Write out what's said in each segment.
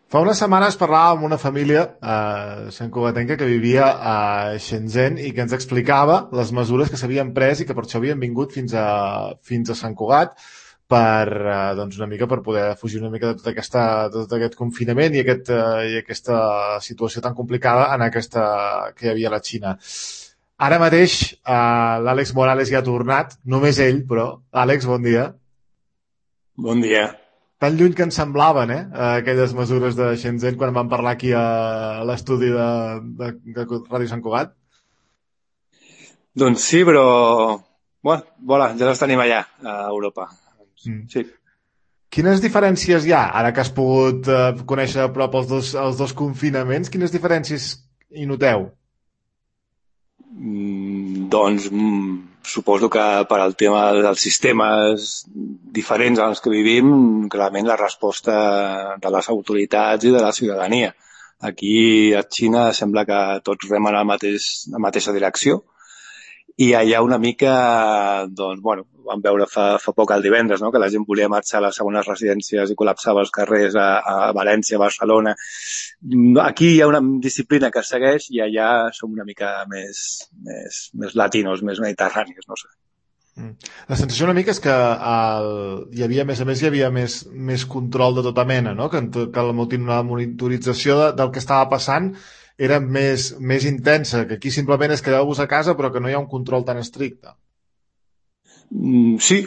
Fa unes setmanes parlàvem amb una família santcugatenca que vivia a Shenzhen i que ens explicava les mesures que s'havien pres i que per això havien vingut fins a Sant Cugat per, doncs una mica per poder fugir una mica de de tot aquest confinament i aquesta situació tan complicada que hi havia a la Xina. Ara mateix l'Àlex Morales ja ha tornat, només ell, però. Àlex, bon dia. Bon dia. Tan lluny que ens semblaven, aquelles mesures de Shenzhen quan vam parlar aquí a l'estudi de Ràdio Sant Cugat. Doncs sí, però... Bueno, voilà, ja les tenim allà, a Europa. Mm. Sí. Quines diferències hi ha, ara que has pogut conèixer a prop els dos confinaments, quines diferències hi noteu? Suposo que per al tema dels sistemes diferents en els que vivim, clarament la resposta de les autoritats i de la ciutadania. Aquí a Xina sembla que tots remen la mateixa direcció, i allà una mica, doncs, bueno, vam veure fa poc el divendres, no?, que la gent volia marxar a les segones residències i col·lapsava els carrers a València, a Barcelona. Aquí hi ha una disciplina que es segueix i allà som una mica més latinos, més mediterranis, no sé. Mm. La sensació una mica és que hi havia, a més, hi havia més control de tota mena, no? Que la monitorització del que estava passant era més intensa, que aquí simplement és quedeu-vos a casa però que no hi ha un control tan estricte. Sí,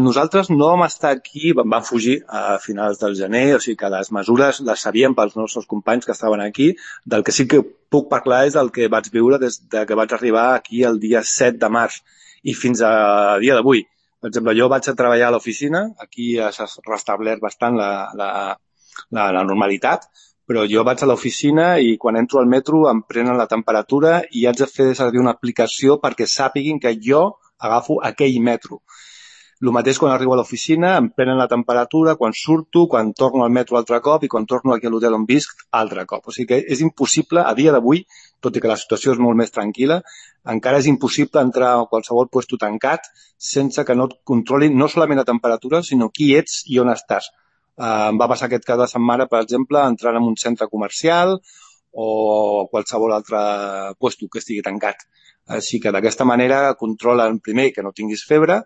nosaltres no vam estar aquí, vam fugir a finals del gener, o sigui que les mesures les sabíem pels nostres companys que estaven aquí. Del que sí que puc parlar és del que vaig viure des que vaig arribar aquí el dia 7 de març i fins a dia d'avui. Per exemple, jo vaig a treballar a l'oficina, aquí s'ha restablert bastant la normalitat, però jo vaig a l'oficina i quan entro al metro em prenen la temperatura i haig de fer servir una aplicació perquè sàpiguin que jo agafo aquell metro. El mateix quan arribo a l'oficina, em prenen la temperatura, quan surto, quan torno al metro altre cop i quan torno aquí a l'hotel on visc altre cop. O sigui que és impossible, a dia d'avui, tot i que la situació és molt més tranquil·la, encara és impossible entrar a qualsevol puesto tancat sense que no et controlin no solament la temperatura, sinó qui ets i on estàs. Em va passar aquest cap de setmana, per exemple, entrant en un centre comercial o qualsevol altre puesto que estigui tancat. Així que d'aquesta manera controlen, primer, que no tinguis febre,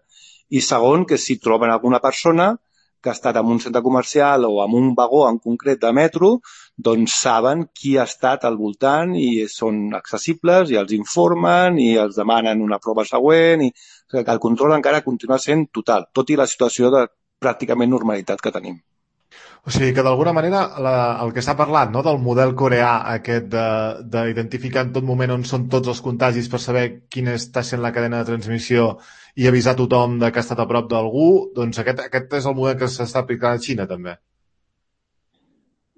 i segon, que si troben alguna persona que ha estat en un centre comercial o en un vagó en concret de metro, doncs saben qui ha estat al voltant i són accessibles i els informen i els demanen una prova següent. O sigui, que el control encara continua sent total, tot i la situació de pràcticament normalitat que tenim. O sigui que d'alguna manera el que s'ha parlat, no?, del model coreà aquest d'identificar en tot moment on són tots els contagis per saber quina està sent la cadena de transmissió i avisar tothom de que ha estat a prop d'algú, doncs aquest és el model que s'està aplicant a Xina també.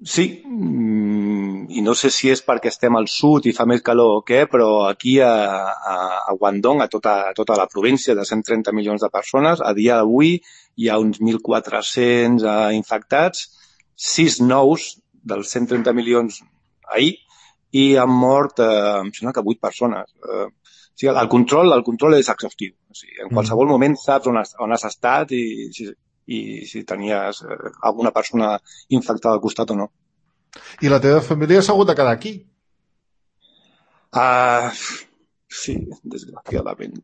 Sí, i no sé si és perquè estem al sud i fa més calor o què, però aquí a Guangdong, a tota la província de 130 milions de persones, a dia d'avui hi ha uns 1.400 infectats, 6 nous dels 130 milions ahir, i han mort, em sembla que 8 persones. O sigui, el control és exhaustiu. O sigui, en qualsevol moment saps on has estat i si tenies alguna persona infectada al costat o no. I la teva família s'ha hagut de quedar aquí? Sí, desgraciadament.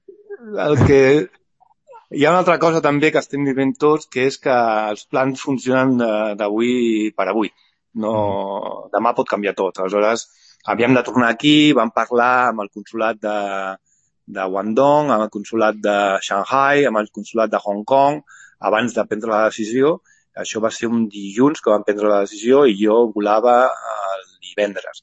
Hi ha una altra cosa també que estem vivint tots, que és que els plans funcionen d'avui per avui. No, demà pot canviar tot. Aleshores, havíem de tornar aquí, vam parlar amb el consolat de Guangdong, amb el consolat de Shanghai, amb el consolat de Hong Kong, abans de prendre la decisió. Això va ser un dilluns que vam prendre la decisió i jo volava el divendres.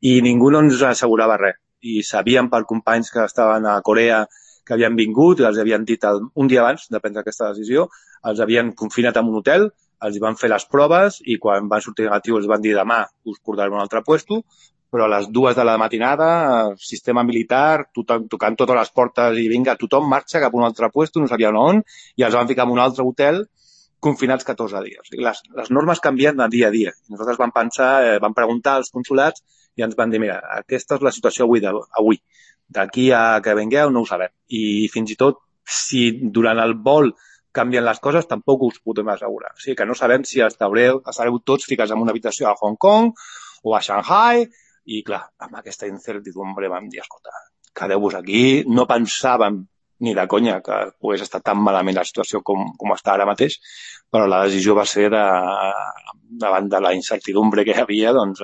I ningú no ens assegurava res. I sabíem per companys que estaven a Corea que havien vingut i els havien dit un dia abans de prendre aquesta decisió, els havien confinat en un hotel, els van fer les proves i quan van sortir negatius els van dir demà us portarem a un altre puesto, però a les 2 de la matinada, sistema militar, tocant totes les portes i vinga, tothom marxa cap a un altre puesto, no sabien on, i els van ficar en un altre hotel confinats 14 dies. Les normes canvien de dia a dia. Nosaltres vam pensar, vam preguntar als consulats i ens van dir, mira, aquesta és la situació avui. D'aquí a que vingueu no ho sabem. I fins i tot si durant el vol canvien les coses, tampoc us podem assegurar. O sigui que no sabem si estareu tots ficats en una habitació a Hong Kong o a Shanghai, i clar, amb aquesta incertidumbre vam dir, escolta, quedeu-vos aquí, no pensàvem ni de conya que pogués estar tan malament la situació com està ara mateix, però la decisió va ser davant de la incertidumbre que hi havia, doncs,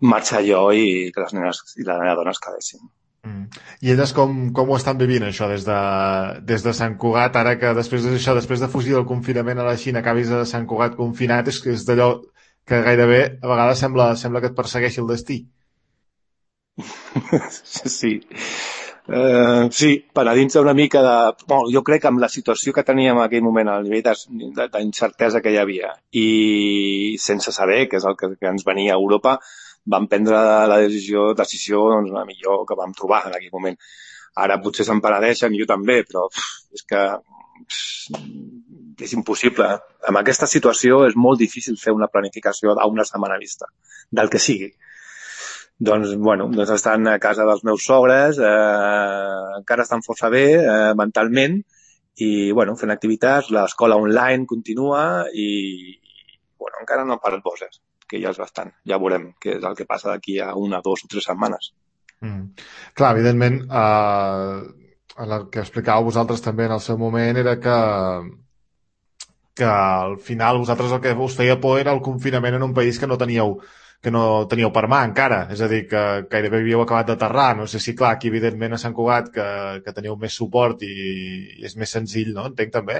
marxar jo i que les nenes i la nena dona es quedessin. I elles com ho estan vivint, això, des de Sant Cugat, ara que després de fugir del confinament a la Xina acabis a Sant Cugat confinat, és d'allò que gairebé a vegades sembla que et persegueixi el destí. Sí. Sí, penedint-se una mica de... Bueno, jo crec que amb la situació que teníem en aquell moment, el nivell d'incertesa que hi havia, i sense saber què és el que ens venia a Europa, vam prendre la decisió doncs, la millor que vam trobar en aquell moment. Ara potser se'n penedeixen, jo també, però és que és impossible. En aquesta situació és molt difícil fer una planificació a una setmana vista, del que sigui. Doncs, bueno, estan a casa dels meus sogres, encara estan força bé mentalment, i, bueno, fent activitats, l'escola online continua i, bueno, encara no paren bosses, que ja és bastant. Ja veurem què és el que passa d'aquí a 1, 2 o 3 setmanes. Clar, evidentment, el que explicàveu vosaltres també en el seu moment era que al final vosaltres el que us feia por era el confinament en un país que no teníeu per mà encara, és a dir, que gairebé havíeu acabat d'aterrar. No sé si, clar, aquí evidentment a Sant Cugat que teniu més suport i és més senzill, no? Entenc també?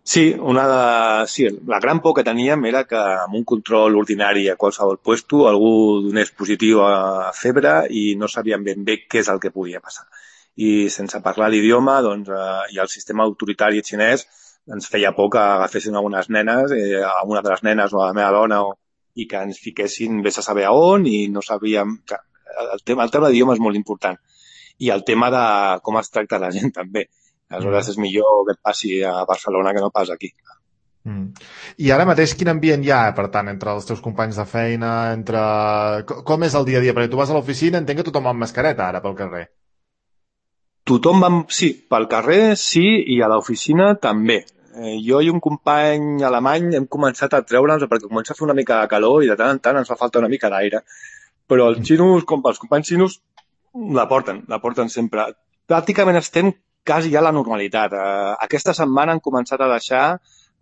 Sí, la gran por que teníem era que amb un control ordinari a qualsevol puesto algú donés positiu a febre i no sabíem ben bé què és el que podia passar. I sense parlar l'idioma, doncs, i el sistema autoritari xinès ens feia por que agafessin algunes nenes, a una de les nenes o a la meva dona, i que ens fiquessin vés a saber a on, i no sabíem... El tema d'idioma és molt important. I el tema de com es tracta la gent també. Aleshores és millor que et passi a Barcelona que no pas aquí. I ara mateix quin ambient hi ha, per tant, entre els teus companys de feina, com és el dia a dia? Perquè tu vas a l'oficina, entenc que tothom amb mascareta ara pel carrer. Sí, pel carrer sí, i a l'oficina també. Jo i un company alemany hem començat a treure'ns perquè comença a fer una mica de calor i de tant en tant ens fa falta una mica d'aire. Però els xinos, els companys xinos, la porten sempre. Pràcticament estem quasi ja a la normalitat. Aquesta setmana han començat a deixar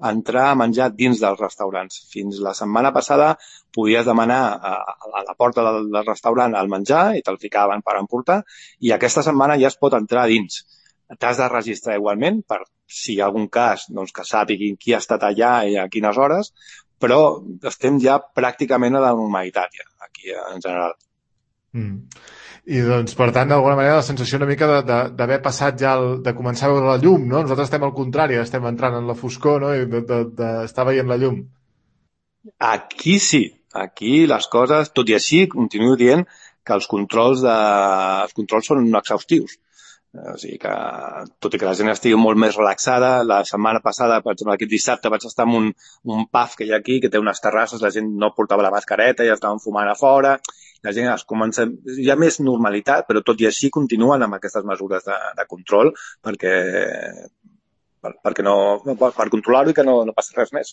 entrar a menjar dins dels restaurants. Fins la setmana passada podies demanar a la porta del restaurant el menjar i te'l ficaven per emportar, i aquesta setmana ja es pot entrar dins. T'has de registrar igualment per si hi ha algun cas, doncs, que sàpiguin qui ha estat allà i a quines hores, però estem ja pràcticament a la normalitat ja, aquí en general. I doncs, per tant, d'alguna manera, la sensació una mica d'haver passat ja, de començar a veure la llum, no? Nosaltres estem al contrari, estem entrant en la foscor, no? I d'estar veient la llum. Aquí sí, aquí les coses, tot i així, continuo dient que els controls són exhaustius. O sigui que, tot i que la gent estigui molt més relaxada, la setmana passada, per exemple, aquest dissabte vaig estar en un pub que hi ha aquí, que té unes terrasses, la gent no portava la mascareta i estaven fumant a fora, la gent comença... Hi ha més normalitat, però tot i així continuen amb aquestes mesures de control per controlar-ho i que no passi res més.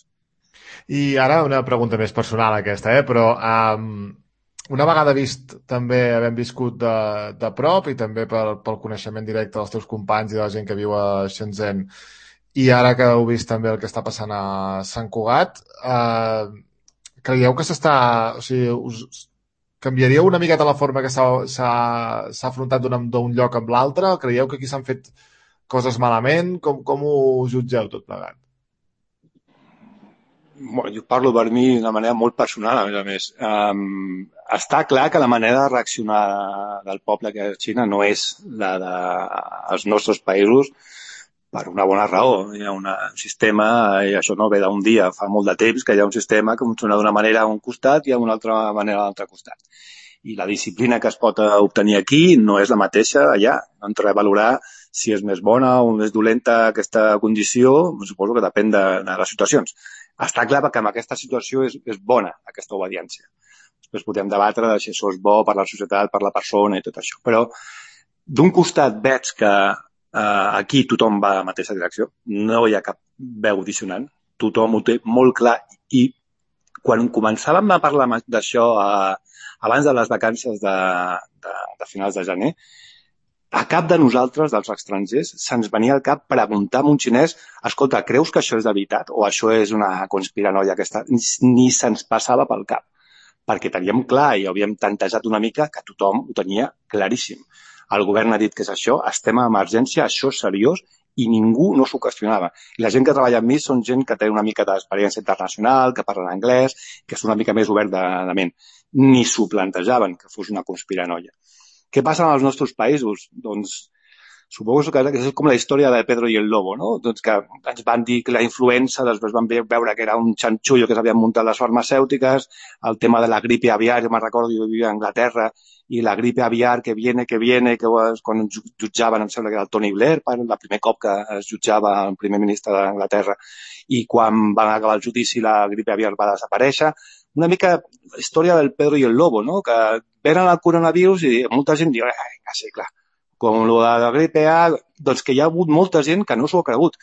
I ara una pregunta més personal aquesta, però una vegada vist, també havent viscut de prop i també pel coneixement directe dels teus companys i de la gent que viu a Shenzhen, i ara que heu vist també el que està passant a Sant Cugat, creieu que o sigui, canviaríeu una miqueta la forma que s'ha afrontat d'un lloc amb l'altre? Creieu que aquí s'han fet coses malament? Com ho jutgeu tot plegat? Bueno, jo parlo per mi d'una manera molt personal, a més. Està clar que la manera de reaccionar del poble que és Xina no és la dels nostres països per una bona raó. Hi ha un sistema, i això no ve d'un dia, fa molt de temps que hi ha un sistema que funciona d'una manera a un costat i d'una altra manera a l'altre costat. I la disciplina que es pot obtenir aquí no és la mateixa allà. No entraré a valorar si és més bona o més dolenta aquesta condició, suposo que depèn de les situacions. Està clar que en aquesta situació és bona, aquesta obediència. Després podem debatre si això és bo per la societat, per la persona i tot això. Però d'un costat veig que Aquí tothom va a la mateixa direcció, no hi ha cap veu dissonant, tothom ho té molt clar i quan començàvem a parlar d'això abans de les vacances de finals de gener, a cap de nosaltres, dels estrangers, se'ns venia al cap preguntar a un xinès escolta, creus que això és de veritat o això és una conspiranoia aquesta? Ni se'ns passava pel cap, perquè teníem clar i havíem tantejat una mica que tothom ho tenia claríssim. El govern ha dit que és això, estem a emergència, això és seriós i ningú no s'ho qüestionava. I la gent que treballa amb mi són gent que té una mica d'experiència internacional, que parlen anglès, que és una mica més obert de ment. Ni s'ho plantejaven que fos una conspiranoia. Què passa als nostres països? Doncs suposo que és com la història de Pedro i el Lobo, no? Doncs que ens van dir que la influença, després van veure que era un xanxullo que s'havien muntat les farmacèutiques, el tema de la gripe aviar, jo me'n recordo, jo vivia a Anglaterra, i la gripe aviar que viene, que quan jutjaven, em sembla que era el Tony Blair, el primer cop que es jutjava el primer ministre d'Anglaterra, i quan van acabar el judici la gripe aviar va desaparèixer. Una mica la història del Pedro i el Lobo, no? Que venen el coronavirus i molta gent diu, sí, clar, com el de la gripe A, doncs que hi ha hagut molta gent que no s'ho ha cregut.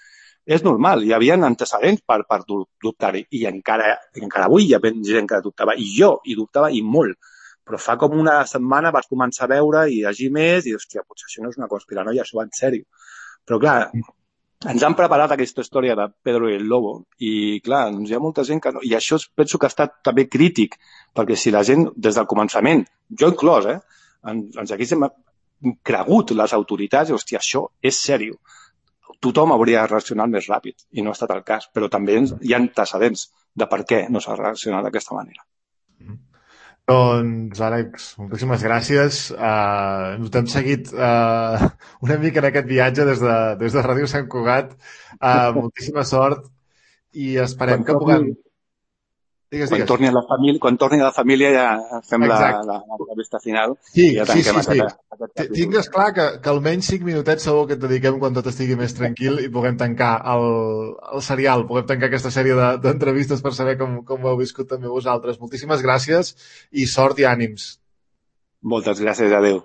És normal, hi havia antecedents per dubtar-hi, i encara avui hi ha gent que dubtava, i jo hi dubtava i molt, però fa com una setmana vaig començar a veure i llegir més i, hòstia, potser això no és una conspiranoia, això va en sèrio. Però clar, ens han preparat aquesta història de Pedro i el Lobo i, clar, doncs hi ha molta gent que no... I això penso que ha estat també crític, perquè si la gent, des del començament, jo inclòs, ens haguéssim cregut les autoritats, i, hòstia, això és sèrio. Tothom hauria reaccionat més ràpid, i no ha estat el cas, però també hi ha antecedents de per què no s'ha reaccionat d'aquesta manera. Doncs, Àlex, moltíssimes gràcies. Ens hem seguit una mica en aquest viatge des de Ràdio Sant Cugat. Moltíssima sort i esperem que puguem... Quan torni a la família ja fem l'entrevista final i ja tanquem aquest capítol. Tingues clar que almenys 5 minutets segur que et dediquem quan tot estigui més tranquil i puguem tancar el serial, puguem tancar aquesta sèrie d'entrevistes per saber com ho heu viscut també vosaltres. Moltíssimes gràcies i sort i ànims. Moltes gràcies, adeu.